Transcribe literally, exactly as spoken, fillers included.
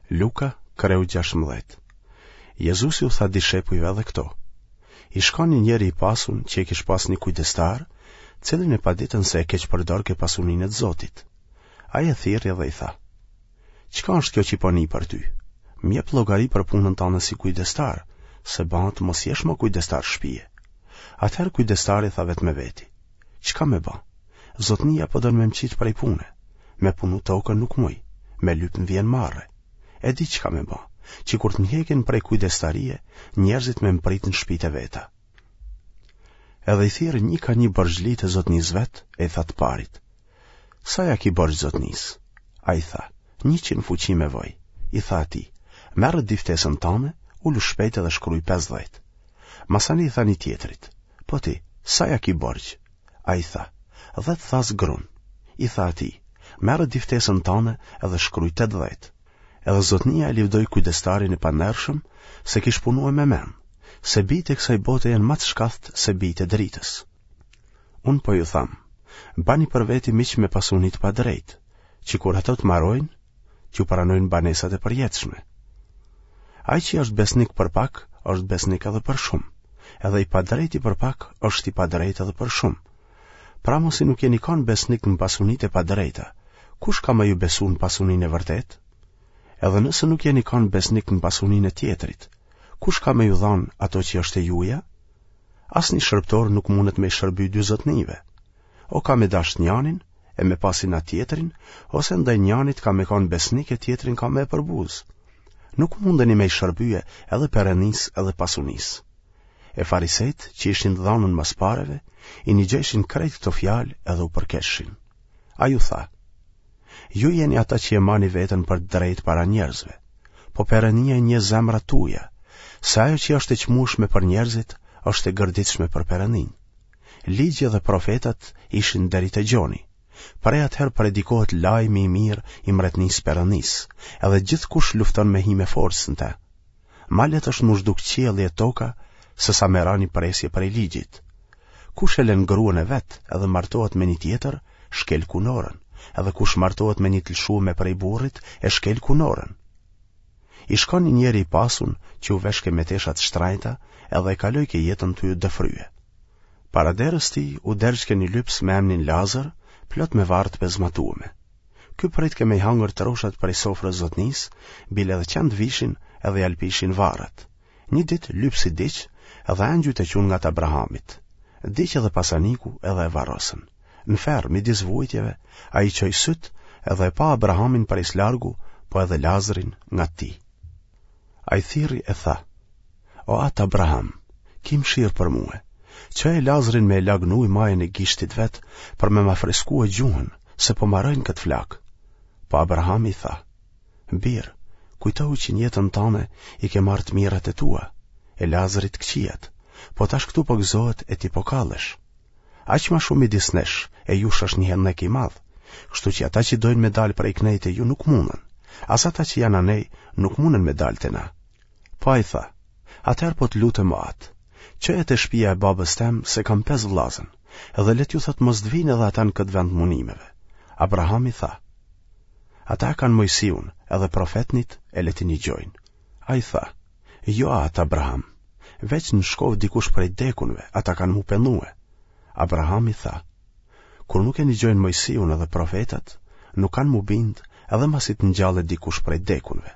Luka, kreu gjashtëmbëdhjetë. Jezusi u tha dishepujve edhe këto. Ish kanë një njeri i pasun që e kish pas një kujdestar, cilin e paditën se e keqpërdorke pasuninë e të Zotit. Ai e thirri dhe i tha: Çka është kjo që po nij për ty? Më jep llogari për punën tënde si kujdestar, se bëhet mos jesh më kujdestar shpije. Atëherë kujdestari tha vetë me veti: Çka me ba? Zotnia po don me më qitë prej pune. Me punu tokën nuk muj, me lyp më vjen marre. E di çka me ba, që kur të më hekin prej kujdestarie, njerëzit me më prit në shpitë e veta. Edhe i thirri një ka një borxhlitë e zotnisë vet, e i tha të parit: Sa ja ki borxh zotnisë? Ai tha: Njëqind fuqi me voj. I tha atij: Merre diftesën tane, ulu shpejt edhe shkruj pesëdhjetë. Masanej i tha një tjetrit: Po ti, sa ja ki borxh? Ai tha: Dhjetë thasë grun. I tha atij: Merre diftesën tane edhe shkruj tetëdhjetë. Edhe zotnia e livdoi kujdestarin e pandershëm se kish punue me mend, se bijtë e kësaj bote janë ma të shkathtë se bijtë e dritës. Unë po ju tham, bani për veti miq me pasuni të padrejtë, që kur ato të marojnë, t'ju pranojnë banesat e përjetshme. Ai që është besnik për pak, është besnik edhe për shumë, edhe i padrejti për pak, është i padrejtë edhe për shumë. Pra masi nuk jeni kanë besnik në pasunitë e padrejta, kush ka me ju besu në pasuninë e vërtetë? Edhe nëse nuk jeni kanë besnik në pasuninë e tjetrit, kush ka me ju dhanë ato që është e juja? Asnjë shërbëtor nuk mundet me i shërby dy zotnive. O ka me dashtë njanin, e me pas inat tjetrin, ose ndaj njanit ka me kanë besnik e tjetrin ka me e përbuz. Nuk mundeni me i shërbye edhe Perënisë edhe pasunisë. E farisejt, që ishin të dhanun mas pareve, i nigjojshin krejt këto fjalë edhe u përkeshin. Ai u tha: Ju jeni ata që e mani veten për të drejtë para njerëzve, po Perënia i njeh zemrat tuaja, se ajo që është e çmueshme për njerëzit është e gërditshme për Perëninë. Ligji dhe profetat ishin deri te Gjoni. Prej atëherë predikohet lajmi i mirë i mbretërisë Perënisë, edhe gjithkush lufton me hi me forcë në të. Ma lehtë është m'u zhduk qielli e toka se sa me ra një presje prej ligjit. Kush e lën gruan e vet edhe martohet me një tjetër, shkel kunorën, edhe kush martohet me një të lëshume prej burrit, e shkel kunorën. Ish kanë një njeri i pasun që u veshke me tesha të shtrajta edhe e kalojke jetën tu u dëfrye. Para derës tij u dergjke një lyps me emnin Lazër, plot me varrë të pezmatueme. Ky pritke me i hangër troshat prej sofrës zotnisë, bile edhe qentë vishin edhe ja lpishin varrat. Një ditë lypsi diq edhe engjujt e qunë ngat Abrahamit. Diq edhe pasaniku edhe e varrosën. Në ferr, midis vuajtjeve, ai çoi sytë edhe e pa Abrahamin prej së largu, po edhe Lazrin ngat tij. Ai thirri e tha: O atë Abraham, ki mëshirë për mue, çoje Lazrin me e lag në ujë majën e gishtit vet për me ma freskue gjuhën, se po maroj në këtë flakë. Po Abrahami i tha: Bir, kujtohu që në jetën tane i ke marrë të mirat e tua, e Lazri të këqijat, po tash këtu po gëzohet e ti po kallesh. Aq ma shumë midis nesh e jush është një hennek i madh, kështu që ata që dojnë me dalë prej kënej te ju nuk mundën, as ata që janë anej nuk mundën me dalë te na. Po ai tha: Atëherë po të lutem o atë, çoje te shtëpia e babës tem se kam pesë vëllazën, edhe le t'ju thotë mos të vinë edhe ata në këtë vend munimeve. Abrahami tha: Ata kanë Moisiun edhe profetnit e le t'i nigjojnë. Ai tha: Jo atë Abraham, veç në shkoftë dikush prej dekunve, ata kanë mu pendue. Abrahami tha: Kur nuk e nigjojnë Moisiun edhe profetat, nuk kanë mu bind edhe masi të ngjallet dikush prej dekunve.